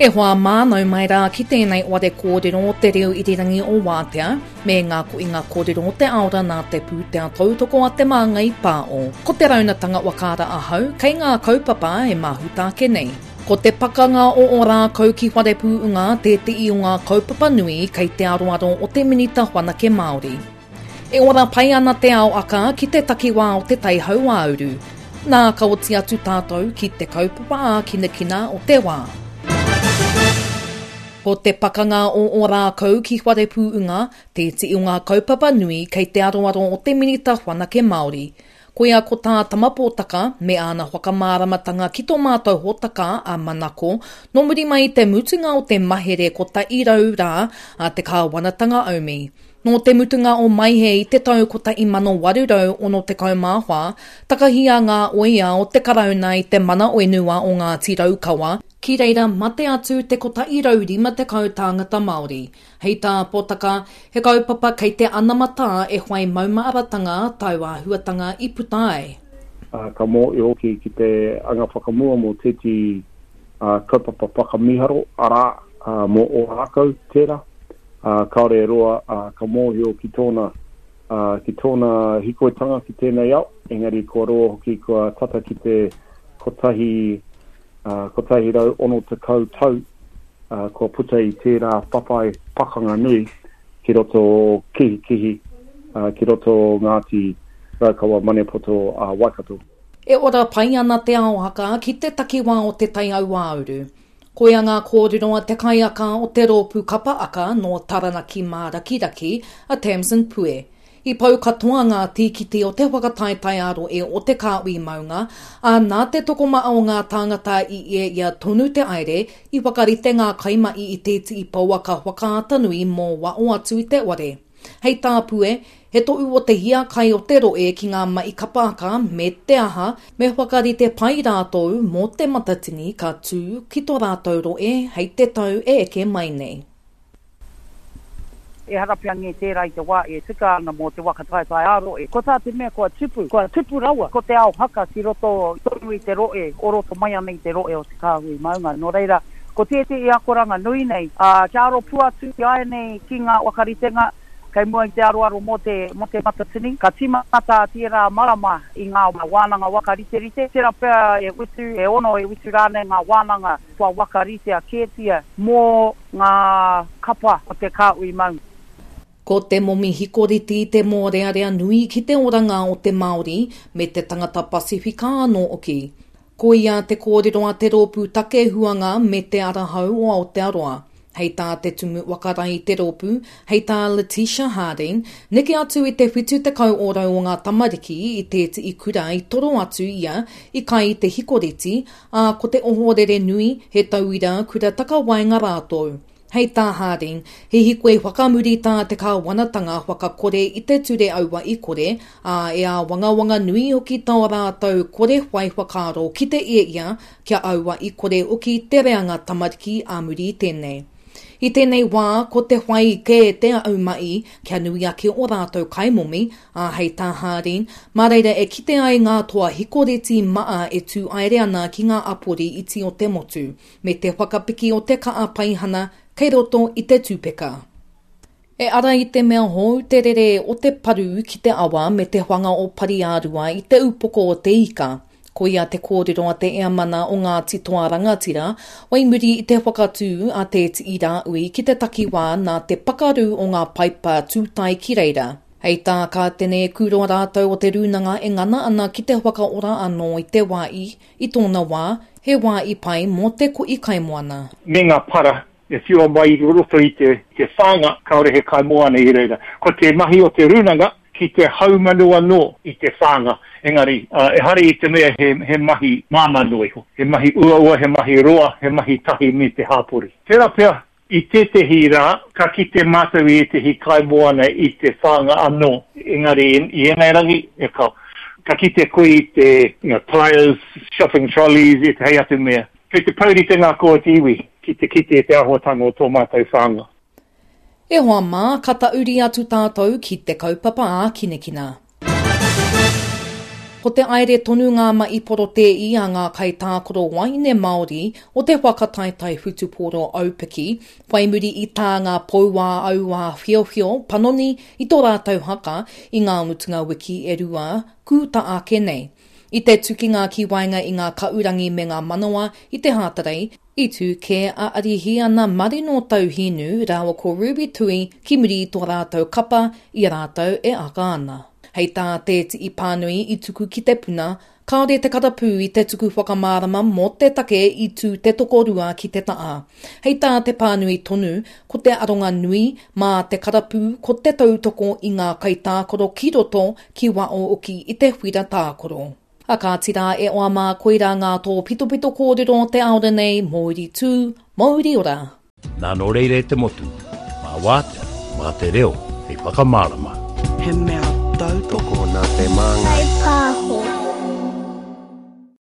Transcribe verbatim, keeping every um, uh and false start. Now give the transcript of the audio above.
E hoa mā, nau mai rā ki tēnei ware kōrero o te reo irirangi o Wātea, me ngā koinga kōrero o te aora nā te pūtea tautoko a Te Māngai Pāo. Ko te raunatanga wakaara ahau, kei ngā kaupapa e mahuta ake nei. Ko te pakanga o Ōrākau ki Wharepū'unga tētehi o ngā kaupapa nui kei te aroaro o te Minita Whanake Māori. E ora pai ana te ao aka ki te takiwā o te Tai Hauāuru. Nā ka oti atu tātou ki te kaupapa ākinakina o te wā. Ko te pakanga o Ōrākau ki Wharepū'unga tētehi o ngā kaupapa nui kei te aroaro o te Minita Whanake Māori. Koia ko tā Tama Pōtaka me āna whakamāramatanga ki tō mātou hōtaka a Manako, nō muri mai i te mutunga o te mahere kotahi rau rā a te kāwanatanga aumi. Nō te mutunga o Maihe i te tau kotahi mano waru rau ono tekau mā whā, takahia ngā oia o te Karauna i te mana whenua o Ngāti Raukawa, ki reira mate atu te kotahi rau rima tekau tāngata Māori. Hei tā Pōtaka, he kaupapa kei te anamatā e whai maumāratanga tauāhuatanga i puta ai. Uh, ka mōhio hoki ki te anga whakamua mō tētehi uh, kaupapa whakamiharo, arā, uh, mō Ōrākau tērā. Uh, kāore e roa uh, ka mōhio ki tōna, uh, ki tōna hikoitanga ki tēnei ao, engari kua roa hoki kua tata ki te kotahi, uh, kotahi rau ono tekau tau uh, kua puta i tērā whawhai pakanga nui ki roto o Kihikihi, uh, ki roto o Ngāti Raukawa Maniapoto a uh, Waikato. E ora pai ana te ao haka ki te takiwā o te Tai Hauāuru. Koia ngā kōrero a te kaiaka o te rōpū kapa aka nō Taranaki Mārakiraki a Tamsin Pue. I pau katoa ngā tīkiti o te whakataetae ā-rohe o te Kāhui Maunga, ā nā te tokomaha o ngā tāngata i ia ia tonu te aere, i whakarite ngā kaimahi i tētehi pouaka whakaata nui mō wao atu i te ware. Hei tā Pue, he tohu o te hiakai o te rohe ki ngā mahi kapa aka me te aha, me whakarite pai rātou mō te matatini ka tū ki tō rātou rohe hei te tau e eke mai nei. Ehara pea nge tērā i te wā e tika ana mō te waka taetae ā-rohe. Ko tā te mea kua tupu, kua tupu rawa, ko te ao haka ki roto tonu i te rohe, o roto mai ana i te rohe o te Kāhui Maunga. Nō reira, ko tētehi akoranga nui nei, ā, kia aro pū atu ki ai nei ki ngā whakaritenga, kei mua i te aroaro mō te, mō te matatini. Ka tīmata tērā marama i ngā wānanga wakariterite. Tērā pea e whitu, e ono, e whitu rānei ngā wānanga kua wakaritea kētia mō ngā kapa o te Kāhui Maunga. Ko te momi hikoriti te mōrearea nui ki te oranga o te Māori me te tangata Pasifika anō hoki. Koia te kōrero a te rōpū take huanga me te arahau o Aotearoa. Hei tā te tumu wakarai i te rōpū, hei tā Letitia Harding, neke atu i te whitu tekau ōrau o ngā tamariki i tētehi kura i toro atu ia i kai i te hikoreti, ā ko te ohorere nui he tauira kura takawaenga rātou. Hei tā Harding, he hikoi whakamuri tā te kāwanatanga whakakore i te ture aua i kore, ā e āwangawanga nui hoki tā rātou kore whai whakaaro ki te ia ia kia aua i kore hoki te reanga tamariki ā muri i tēnei. I tēnei wā, ko te whai kē te aumai kia nui ake o rātou kaimomi, ā hei tā Harding, mā reira e kite ai ngā toa hikoreti maa e tū aere ana ki ngā apori iti o te motu, me te whakapiki o te kaa paihana kei roto i te tūpeka. E ara i te mea hou te rere o te paru ki te awa me te whanga o Pariārua i te upoko o te ika. Koia te kōrero a te eamana o Ngāti Toa Rangatira, wai muri i te whakatū a Te Tii Rāui ki te takiwā nā te pakaru o ngā paipa tūtai ki reira. Hei tā Kātene Kūroa rātou o te rūnanga e ngana ana ki te whakaora anō i te wā i, i tōna wā, he wā i pai mō te ko'i kaimoana. Me ngā para e whiua mai i roto i te, te whānga, kāore he kaimoana i reira. Ko te mahi o te rūnanga ki te haumanu anō i te whānga. Engari, uh, ehara i te mea he, he mahi māmā noa iho. He mahi uaua, he mahi roa, he mahi tahi me te hāpori. Tērā pea, i tētehi rā, ka kite mātou i ētehi kaimoana i te whānga anō. Engari, i ēnei rangi, e ka, ka kite koe i te you know, tires, shopping trolleys, e te hei atu mea. Kei te pouri te ngā koa te iwi ki te kite te āhuatanga o tō mātou whānga. E hoa mā, ka tauri atu tātou ki te kaupapa ākinakina. Ko te aere tonu ngā mahi porotēi a ngā kaitākaro waeine Māori o te whakataetae whutupōro aupiki, whai muri i tā ngā pou ā-auā whiowhio panoni i tō rātou haka i ngā mutunga wiki e rua kūta ake nei. I te tukinga ki waenga i ngā kaurangi me ngā manawa i te Hātarei, i tū kē a Arihiana Marino Tauhinu rāua ko Ruby Tui ki muri i tō rātou kapa i a rātou e aka ana. Hei tā te tii pānui i tuku ki te puna, kāore te karapū i te tuku whakamārama mō te take i tū te tokorua ki te ta'a. Hei tā te pānui tonu, ko te aronga nui mā te karapū ko te tautoko i ngā kaitākaro ki roto ki wao oki i te whira tākaro. A kāti rā e oa mā koirā ngā tōpitopito kōrero te aore nei, Mauri tū, Mauri ora. Nā nō reira e te motu, mā wātea, mā te reo, hei whakamārama. He mea tautoko nā te māngai. Pāho.